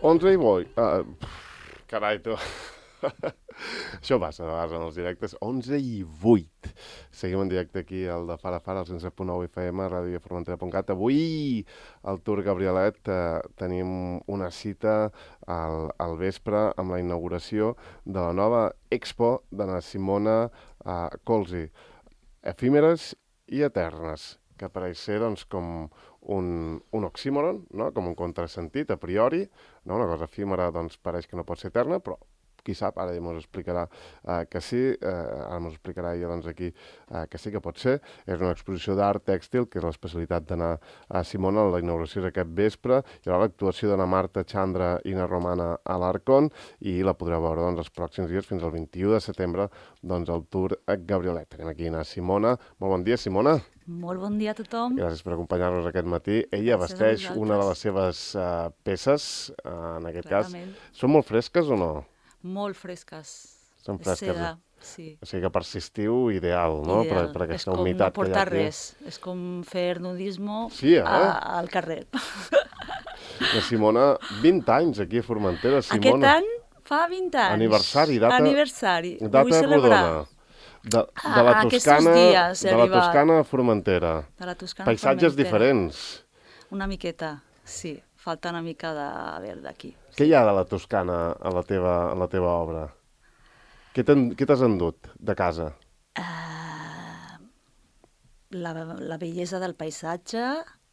11 i 8. Carai, tu. Això passa a vegades en els directes. 11 i 8. Seguim en directe aquí al de Fara Fara, al 107.9 FM, radioformentera.cat. Avui, al Tour Gabrielet, tenim una cita al vespre amb la inauguració de la nova expo de la Simona Colzi. Efímeres i eternes, que pareix ser doncs, com un oxímoron, no? Com un contrasentit a priori, no? Una cosa efímera doncs, pareix que no pot ser eterna, però qui sap, ara ens explicarà que sí, ara ens explicarà ella doncs, aquí que sí que pot ser. És una exposició d'art tèxtil, que és l'especialitat d'anar a Simona, la inauguració és aquest vespre, hi haurà l'actuació d'Anna Marta Chandra i na Romana a l'Arcon, i la podreu veure doncs, els pròxims dies, fins al 21 de setembre, doncs, al Tour Gabrielet. Tenim aquí a Simona. Molt bon dia, Simona. Molt bon dia a tothom. Gràcies per acompanyar-nos aquest matí. Ella vesteix una de les seves peces, en aquest Clarament. cas. Són molt fresques o no? Molt fresques. Són fresques. Seda, sí. O sigui que per estiu ideal, no? Ideal. Per aquesta humitat que hi ha aquí. És com no portar res. És com fer nudisme al carrer. La Simona, 20 anys aquí a Formentera. Simona. Aquest any fa 20 anys. Aniversari, data rodona. De la Toscana, dies, de la Toscana a Formentera. De la Toscana Paisatges diferents. Una miqueta, sí. Falta una mica de verd aquí. Què hi ha de la Toscana a la teva obra? Què t'has endut de casa? La bellesa del paisatge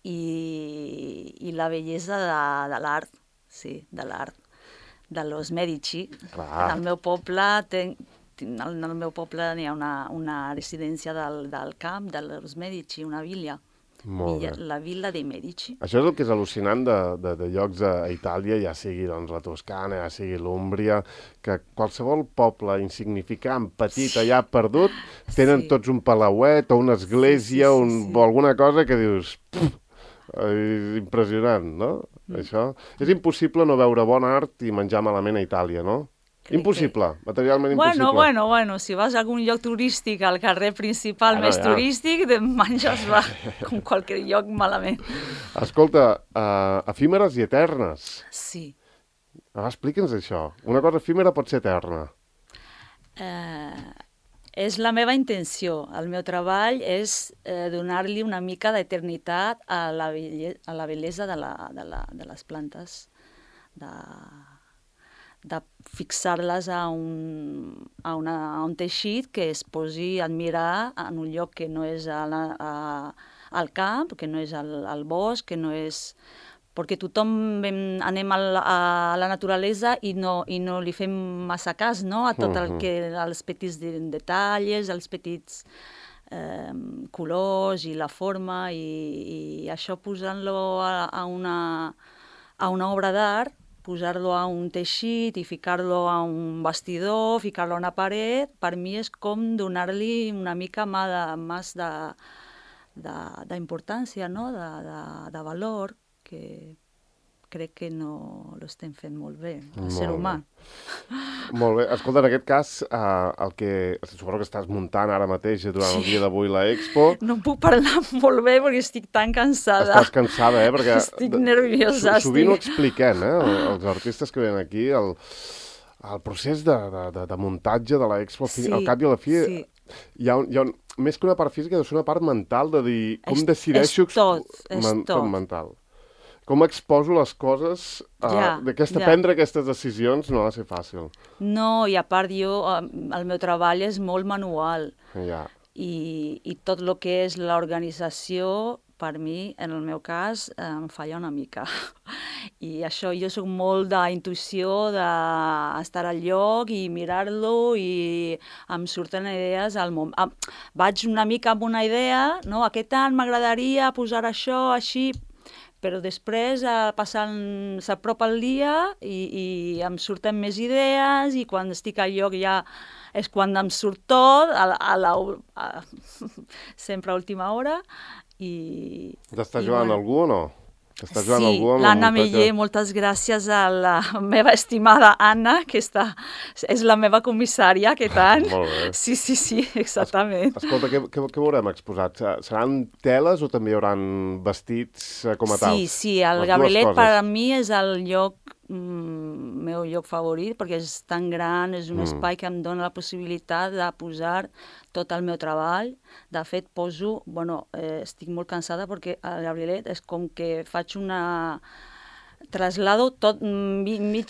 i la bellesa de l'art, sí, de l'art. De los Medici. Al meu poble n'hi ha una residència del camp de los Medici, una villa. La Villa dei Medici. Això és el que és al·lucinant de llocs a Itàlia, ja sigui doncs, la Toscana, ja sigui l'Úmbria, que qualsevol poble insignificant, petit, allà perdut, tenen tots un palauet o una església o alguna cosa que dius... És impressionant, no? Això. És impossible no veure bon art i menjar malament a Itàlia, no? Impossible, materialment impossible. Bueno, si vas a algun lloc turístic, al carrer principal més turístic, menges com qualsevol lloc malament. Escolta, efímeres i eternes. Sí. Explica'ns això. Una cosa efímera pot ser eterna. És la meva intenció. El meu treball és donar-li una mica d'eternitat a la bellesa de les plantes, de fixar-les a un teixit que es posi a admirar en un lloc que no és al camp, que no és al bosc, que no és... Perquè tothom anem a la naturalesa i no li fem massa cas, no? A tot els petits detalls, els petits colors i la forma, i això posant-lo a una obra d'art, posar-lo a un teixit i ficar-lo a un bastidor, ficar-lo a una paret, per mi és com donar-li una mica més d'importància, no? De valor, que crec que no l'estem fent molt bé, el ser humà. Molt bé. Escolta, en aquest cas, el que suposo que estàs muntant ara mateix durant el dia d'avui la Expo... No puc parlar molt bé perquè estic tan cansada. Estàs cansada, perquè... Estic nerviosa. Sovint ho expliquem, els artistes que venen aquí, el procés de muntatge de la Expo, al cap i a la fi, hi ha més que una part física, deu ser una part mental, de dir, com decideixo... És tot. Mental. Com exposo les coses, prendre aquestes decisions no ha de ser fàcil. No, i a part el meu treball és molt manual. I tot el que és l'organització, per mi, en el meu cas, em falla una mica. I això, jo soc molt d'intuïció, d'estar al lloc i mirar-lo, i em surten idees al moment. Vaig una mica amb una idea, no? Aquest any m'agradaria posar això, així... però després s'apropa el dia i em surten més idees, i quan estic al lloc ja és quan em surt tot, sempre a última hora. T'està jugant algú o no? Sí, l'Anna Meller, moltes gràcies a la meva estimada Anna, que és la meva comissària aquest any. Molt bé. Sí, exactament. Escolta, què veurem exposat? Seran teles o també hi haurà vestits com a tals? Sí, el Gabrielet per a mi és el lloc meu lloc favorit, perquè és tan gran, és un espai que em dona la possibilitat de posar tot el meu treball. De fet, estic molt cansada perquè al Gabrielet és com que faig traslado tot mig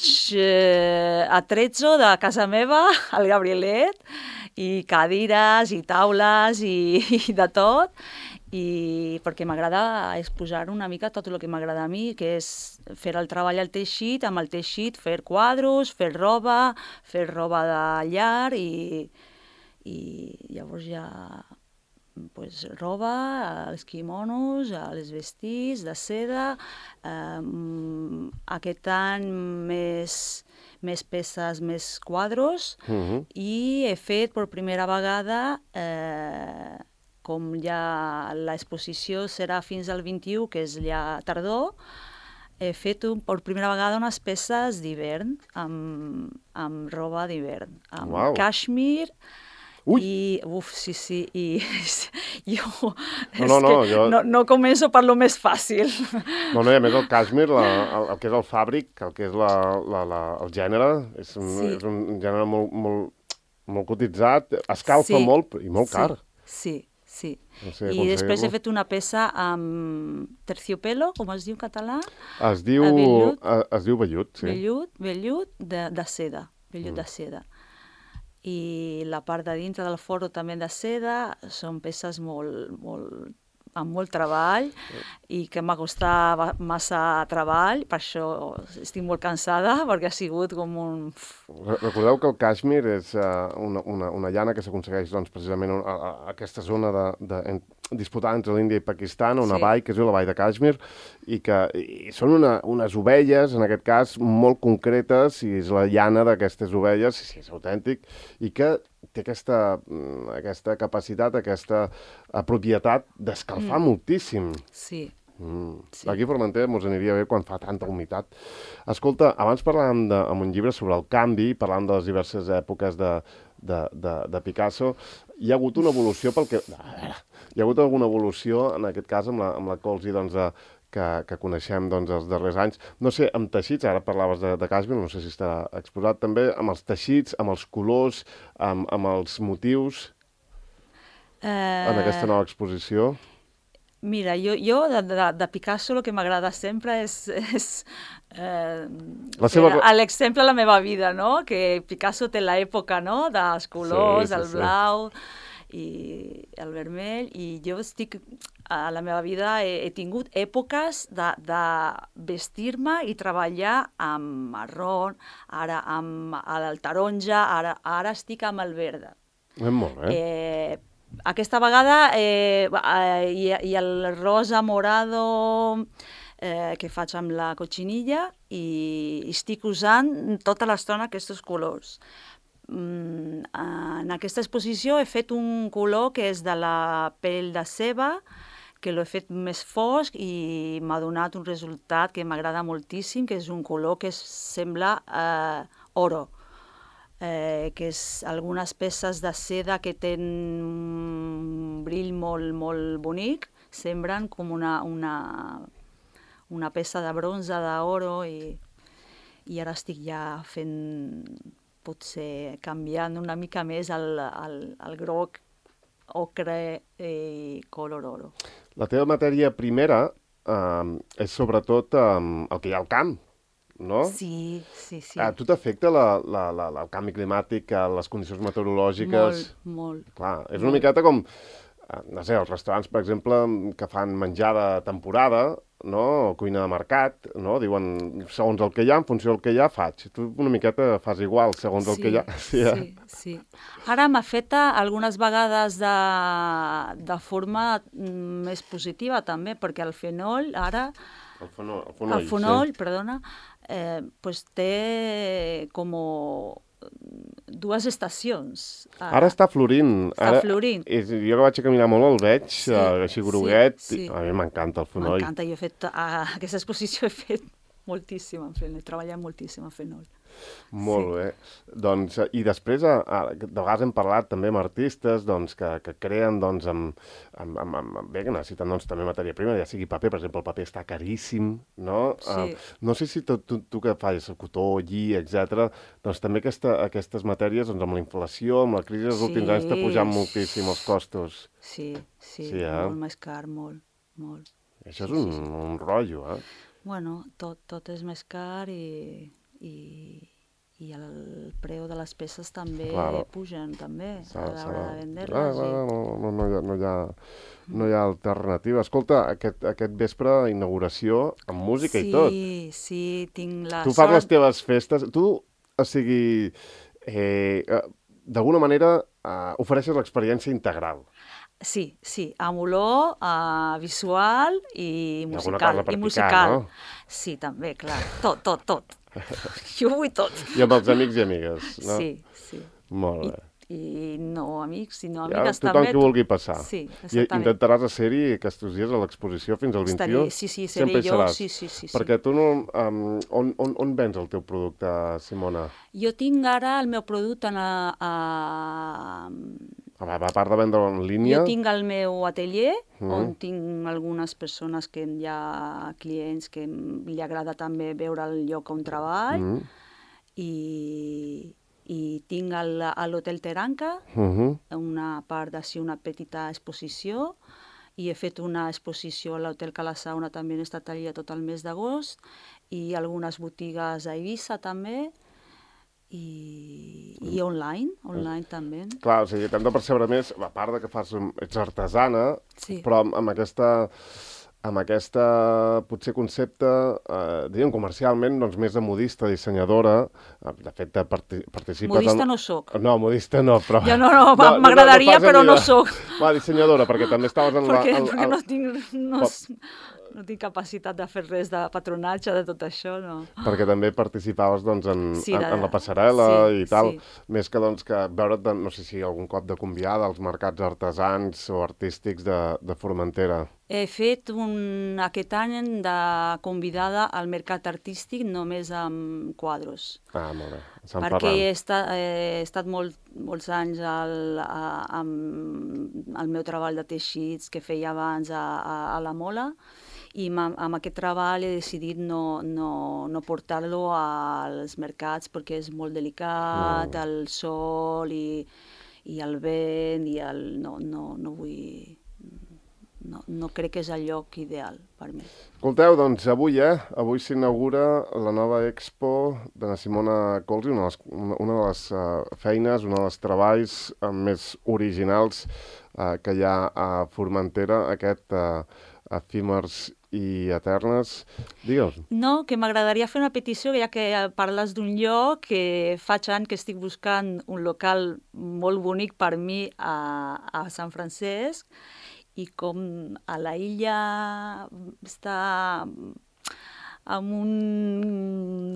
atrezzo de casa meva al Gabrielet, i cadires i taules i de tot, i perquè m'agrada exposar una mica tot el que m'agrada a mi, que és fer el treball al teixit, amb el teixit fer quadros, fer roba de llar, i llavors ja roba, els quimonos, els vestits de seda, aquest any més peces, més quadros, i he fet per primera vegada, com ja l'exposició serà fins al 21, que és ja tardor, he fet per primera vegada unes peces d'hivern, amb roba d'hivern, amb cashmere. I, sí, i jo no començo per lo més fàcil. I a més el cashmere, el que és el fàbric, el que és el gènere, és un gènere molt cotitzat, escalfa molt i molt car. Sí. I després he fet una peça amb terciopelo, com es diu en català? Es diu vellut, sí. Vellut de seda, vellut de seda. I la part de dintre del forro també de seda, són peces amb molt treball, i que m'ha costat massa treball, per això estic molt cansada, perquè ha sigut com un... Recordeu que el cashmere és una llana que s'aconsegueix precisament a aquesta zona disputada entre l'Índia i Pakistan, una vall que es diu la vall de Kashmir, i són unes ovelles, en aquest cas, molt concretes, i és la llana d'aquestes ovelles, sí, és autèntic, i que té aquesta capacitat, aquesta propietat d'escalfar moltíssim. Sí. Aquí a Formentera mos aniria bé quan fa tanta humitat. Escolta, abans parlàvem en un llibre sobre el canvi, parlàvem de les diverses èpoques de Picasso. Hi ha hagut una evolució hi ha hagut alguna evolució, en aquest cas, amb la Colzi, que coneixem els darrers anys. No sé, amb teixits, ara parlaves de cashmere, no sé si estarà exposat també, amb els teixits, amb els colors, amb els motius, en aquesta nova exposició. Mira, jo de Picasso el que m'agrada sempre és l'exemple de la meva vida, no? Que Picasso té l'època, no?, dels colors, el blau i el vermell, i jo a la meva vida he tingut èpoques de vestir-me i treballar amb marró, ara amb el taronja, ara estic amb el verd. Molt bé. Aquesta vegada i el rosa morado que faig amb la cotxinilla, i estic usant tota l'estona aquests colors. En aquesta exposició he fet un color que és de la pell de ceba, que l'he fet més fosc i m'ha donat un resultat que m'agrada moltíssim, que és un color que sembla oro, que és algunes peces de seda que tenen un brill molt bonic, semblen com una peça de bronze, d'oro, i ara estic ja fent, potser canviant una mica més el groc, ocre i color oro. La teva matèria primera és sobretot el que hi ha al camp, no? Sí. A tu t'afecta el canvi climàtic, les condicions meteorològiques? Molt. Clar, és una miqueta com, no sé, els restaurants, per exemple, que fan menjar de temporada, no? O cuina de mercat, no? Diuen, segons el que hi ha, en funció del que hi ha, faig. Tu una miqueta fas igual, segons el que hi ha. Sí. Ara m'ha fet algunes vegades de forma més positiva, també, perquè el fenol, ara... El fonoll, perdona, té com dues estacions. Ara està florint. Està florint. Jo que vaig a caminar molt el veig, així groguet. A mi m'encanta el fonoll. M'encanta, jo he fet, aquesta exposició he fet moltíssim en fenol, treballem moltíssim en fenol. Molt bé. Doncs, i després, de vegades hem parlat també amb artistes doncs, que creen doncs, bé, que necessiten doncs, també matèria prima, ja sigui paper, per exemple, el paper està caríssim, no? Sí. No sé si tu que fas cotó, lli, etc. doncs també aquestes matèries, doncs, amb la inflació, amb la crisi dels últims anys, està pujant moltíssim els costos. Sí, molt més car, molt. Això és un rotllo, eh? Bueno, tot és més car i el preu de les peces també pugen, també, a l'hora de vendre-les. No hi ha alternativa. Escolta, aquest vespre, inauguració amb música i tot. Sí, tinc la sort... Tu fas les teves festes... Tu, o sigui, d'alguna manera ofereixes l'experiència integral. Sí, amb olor visual i musical. No? Sí, també, clar. Tot. Jo vull tot. I amb els amics i amigues, no? Sí. Molt bé. I no amics, sinó amigues també. Tothom que vulgui passar. Sí, exactament. I intentaràs ser-hi aquests dies a l'exposició fins al 21? Sí, seré jo. Sí. Perquè tu no... On vens el teu producte, Simona? Jo tinc ara el meu producte A part de vendre en línia... Jo tinc el meu atelier, on tinc algunes persones que hi ha clients que li agrada també veure el lloc on treball, i tinc a l'Hotel Terranca una part d'ací, una petita exposició, i he fet una exposició a l'Hotel Cala Sauna també en estat allà tot el mes d'agost, i algunes botigues a Eivissa també, i online també. Clar, o sigui, t'hem de percebre més, a part de que ets artesana, però amb aquesta potser concepte, diguem comercialment, doncs més de modista, dissenyadora, de fet participes... Modista no soc. No, modista no, però... Ja no, m'agradaria, però no soc. Va, dissenyadora, perquè també estaves en la... Perquè no tinc... No tinc capacitat de fer res de patronatge, de tot això, no. Perquè també participaves doncs, en la passarel·la i tal, més que doncs, que veure't, no sé si algun cop de convidada als mercats artesans o artístics de Formentera. He fet aquest any de convidada al mercat artístic només amb quadros. Molt bé. Perquè he estat molts anys amb el meu treball de teixits que feia abans a la Mola, i amb aquest treball he decidit no portar-lo als mercats perquè és molt delicat, el sol i el vent, i no vull... No crec que és el lloc ideal per mi. Escolteu, doncs avui s'inaugura la nova expo de la Simona Colsi, una de les feines, un dels treballs més originals que hi ha a Formentera, aquest Efímers i Eternes. Digue'ls. No, que m'agradaria fer una petició, ja que parles d'un lloc, que faig anys que estic buscant un local molt bonic per mi a Sant Francesc, i com a la illa està en un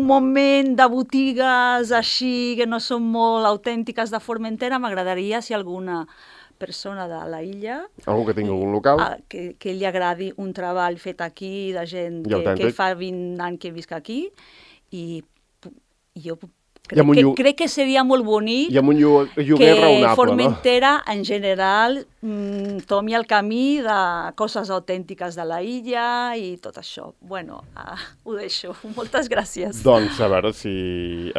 moment de botigues així que no són molt autèntiques de Formentera, m'agradaria si alguna persona de la illa... Algú que tingui algun local? Que li agradi un treball fet aquí, de gent que fa 20 anys que visc aquí, i jo crec que seria molt bonic que Formentera, en general, tomi el camí de coses autèntiques de la illa i tot això. Bueno, ho deixo. Moltes gràcies. Doncs a veure si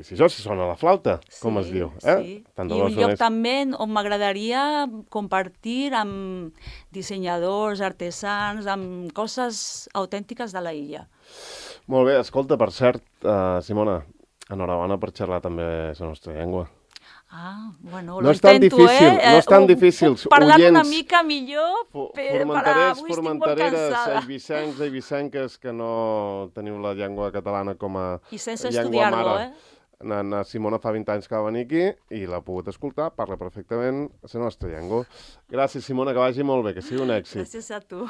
això sona la flauta, com es diu. Sí. I un lloc també on m'agradaria compartir amb dissenyadors, artesans, amb coses autèntiques de la illa. Molt bé, escolta, per cert, Simona, enhorabona per xerrar també la nostra llengua. Bueno, lo intento, No és tan difícil. Puc parlar una mica millor, però avui estic molt cansada. Formenteres, eivissenques, que no teniu la llengua catalana com a llengua mare. I sense estudiar-lo, Na Simona fa 20 anys que va venir aquí i l'ha pogut escoltar, parla perfectament la nostra llengua. Gràcies, Simona, que vagi molt bé, que sigui un èxit. Gràcies a tu.